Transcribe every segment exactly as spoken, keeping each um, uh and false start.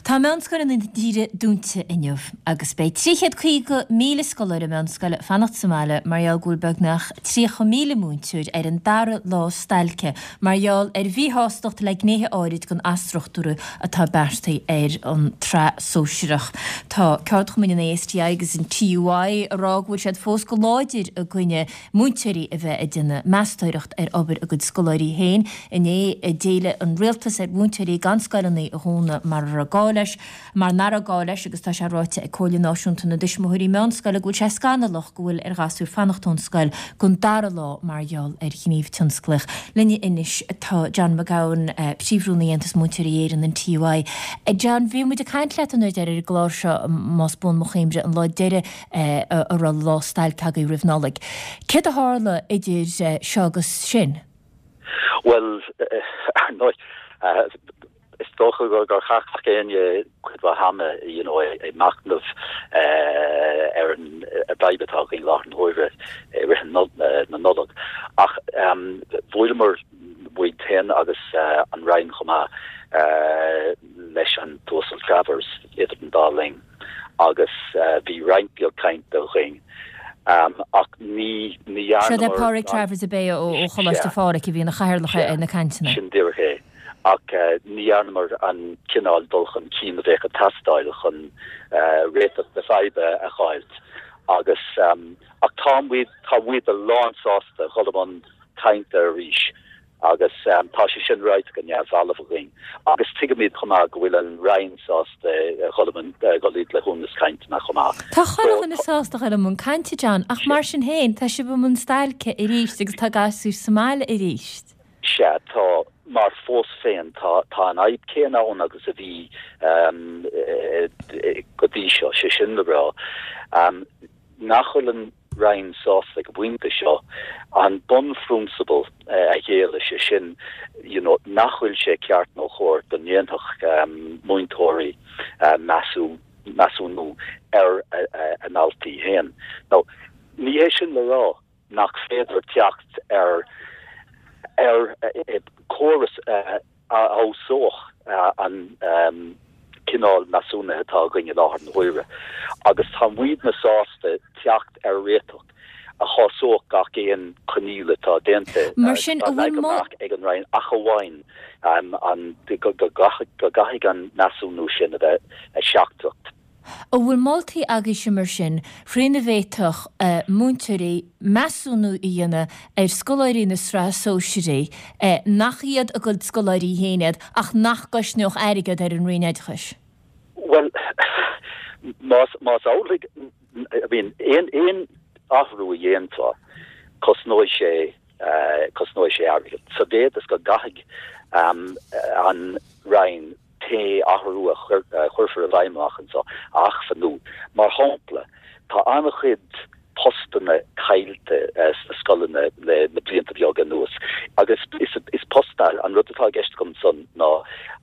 Tá meánscoileanna na tíre dúnta inniu agus beidh trí chéad caoga míle scoláire meánscoile fanacht sa mbaile mar gheall go bhfuil beagnach tríocha míle múinteoir ar an dara lá stailce mar gheall ar mhíshástacht le gnéithe áirid den athstruchtúrú atá beartaithe ar an tsraith sóisearach. Tá ceardchumainn an A S T I agus an T U I ag rá go bhfuil siad fós go láidir i gcoinne múinteoirí a bheith ag déanamh meastóireacht ar obair a gcuid scoláirí féin. Inné d'éiligh an rialtas ar mhúinteoirí gan scoileanna a dhúnadh mar a raibh gá leis, mar nach raibh gá leis, agus tá sé ráite ag Comhairle Náisiúnta na dTuismitheoirí Meánscoile go bhfuil sé scannalach go bhfuil ar ghasúir fanacht ón scoil don dara lá mar gheall ar ghníomh tionsclaíoch. Linne anois tá John McGowan, Príomh-Rúnaí Aontas Múinteoirí Éireann, an T U I. John, bhí muid ag caint leat an uair deiridh ar an gclár seo, más buan mo chuimhne, an lá deiridh a raibh lá stailce agaibh roimh Nollaig. Céard a tharla idir seo agus sin? Well, ar ndóigh, is dócha gur gur chaith gach éinne cuid mhaith ama you know, ag machnamh ar an bhfadhb atá againn i láthair na huaire i rith na Nollag. Ach um, bhuaileamar muid féin agus uh, an Roinn chomh maith uh, leis an tUasal Travers idir an dá linn agus uh, bhí roinnt beag cainte againn. Um, ach ní ní Seo é Pádraig Travers a bé ó Choláiste Phádraig a bhí ina chathaoirleach ar na cainteanna. Sin díreach é. Ach uh, ní dhearnamar an cineál dul chun cinn a bheadh ag teastáil chun uh, réiteach na faidhbe a fháilt. Agus um, ach tá muid tá muid lánsásta dhul i mbun cainte arís agus um, tá sé sin ráite go neamhbhalbh againn. Agus tuigimid chomh maith go bhfuil an Roinn sásta dhul i mbun na cainte chomh maith. Tá chuile dhuine sásta dhul i mbun cainte, John, ach mar sin féin tá sibh i mbun stailce arís agus tá gasúir sa mbaile arís. Sea, tá, mar fós féin tá tá an fhadhb céanna ann agus a bhí um, go dtí seo, sé sin le rá Um, nach bhfuil an Roinn sásta ag an bpointe seo an bunphrionsabal uh, a ghéilleadh, sé sin you know, nach bhfuil sé ceart nó chóir go ndéanfadh um, múinteoirí uh, measú measúnú ar a ndaltaí féin. Now, ní hé sin le rá nach féidir teacht ar ar córas a fheabhsódh an um, cineál measúnaithe atá againn i láthair na huaire. Agus tá muidne sásta teacht ar réiteach a shásódh gach aon choinníoll atá déanta Mar sin ag an Roinn, ach amháin um, an go gcaithfidh an measúnú sin a bheith seachtrach. An bhfuil moltaí agaibhse mar sin faoina bhféadfadh uh, múinteoirí measúnú a dhéanamh ar scoláirí na sraithe sóisearaí uh, nach iad a gcuid scoláirí féin iad ach nach gcosnódh airgead ar an Roinn Oideachais? Well, más más amhlaidh, I mean, aon aon athrú a dhéanfá, cosnóidh sé uh, cosnóidh sé airgead. Sa mhéid is go gcaithfidh um, an Roinn pé athrú a chuirfear i bhfeidhm amach anseo a acmhainniú. Mar shampla, tá an-chuid postanna caillte uh, sna scoileanna le na blianta beaga anuas. Agus is, is postanna, an rud atá i gceist agam ansan ná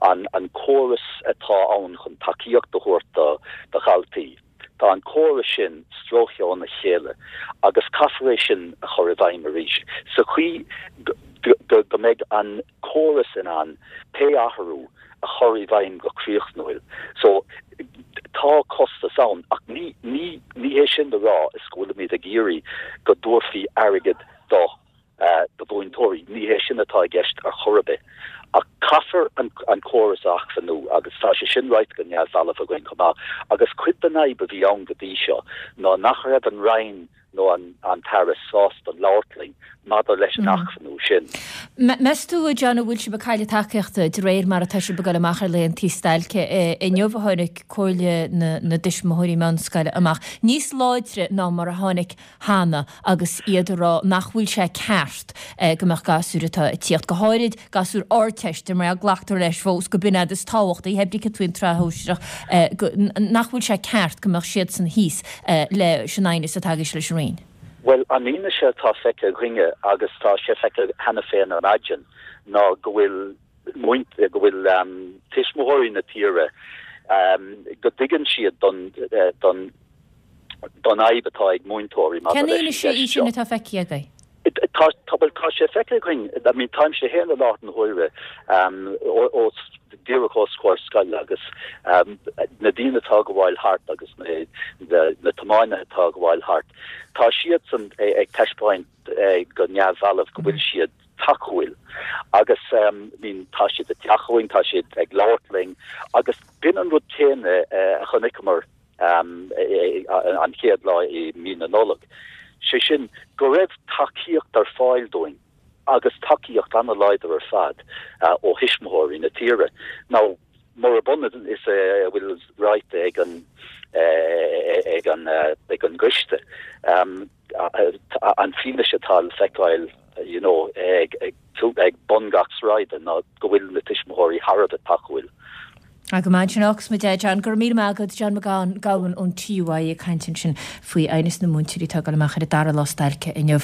an, an córas atá ann chun tacaíocht a thabhairt do, do dhaltaí. Tá an córas sin stróicthe óna chéile agus caithfear é sin a chur i bhfeidhm arís. Sa chaoi go go mbeidh an córas in ann pé athrú a chur i bhfeidhm go críochnúil. So tá costas ann, ach ní ní ní hé sin le rá is go bhfuilimid ag iarraidh go dtabharfaí airgead do uh, do mhúinteoirí, ní hé sin atá i gceist ar chor ar bith. Ach caithfear an, an córas a acmhainniú agus tá sé sin ráite go neamhbhalbh againn chomh maith, agus cuid den fhadhb a bhí ann go dtí seo ná nach raibh an Roinn nó an, an tAire sásta labhairt linn maidir leis an mm. acmhainniú sin. Meas tú, John, bhfuil sibh ag cailleadh tacaíochta de réir mar atá sibh ag dul amach ar laethantaí stailce? Inniu a tháinig Comhairle na, na dTuismitheoirí Meánscoile amach níos láidre ná mar a tháinig cheana agus iad ag rá nach bhfuil sé ceart eh, go mbeadh gasúir atá ag tíocht, go háirid gasúir Ardteiste, mar a glactar leis fós gurb in iad is tábhachtaí, hé brí faoin tsraith shóisearach, eh, nach bhfuil sé ceart go mbeadh siad san thíos eh, leis an aighneas atá agaibhse leis an Roinn. Well, an fhianaise atá feicthe againne, agus tá sé feicthe cheana féin ar maidin, ná go bhfuil go bhfuil um, tuismitheoirí na tíre um, go dtuigeann siad don, uh, don don fhadhb atá ag múinteoirí. Cén fhianaise í sin atá feicthe agaibh? Tá tá sé feicthe againn, I mean, táimse féin i láthair na huaire um, ó díreach os comhair scoile agus um, na daoine atá ag gabháil thart agus na, na, na tiománaithe atá ag gabháil thart. Tá siadsan ag taispeáint go neamhbhalbh go bhfuil siad tacúil agus um, mean, tá siad ag teacht chugainn tá siad ag labhairt linn agus b'in an rud céanna uh, a chonaiceamar um, an chéad lá i mí na Nollag. Sé sin go raibh tacaíocht ar fáil dúinn agus tacaíocht an-láidir ar fad uh, ó thuismitheoirí na tíre. Now murab ionann is a bhfuil ráite ag an ag an ag an gcoiste. Um, an fianaise atá le feiceáil you know, ag, ag, ag bun gach sráide ná go bhfuil na tuismitheoirí thar a bheith tacúil. Go maith sin agus mu John gur mí agad John McGowan ón TUI ag caint ansin faoi ainas na múinteoirí atá ag dul amach ar a dara lá stailce inniu.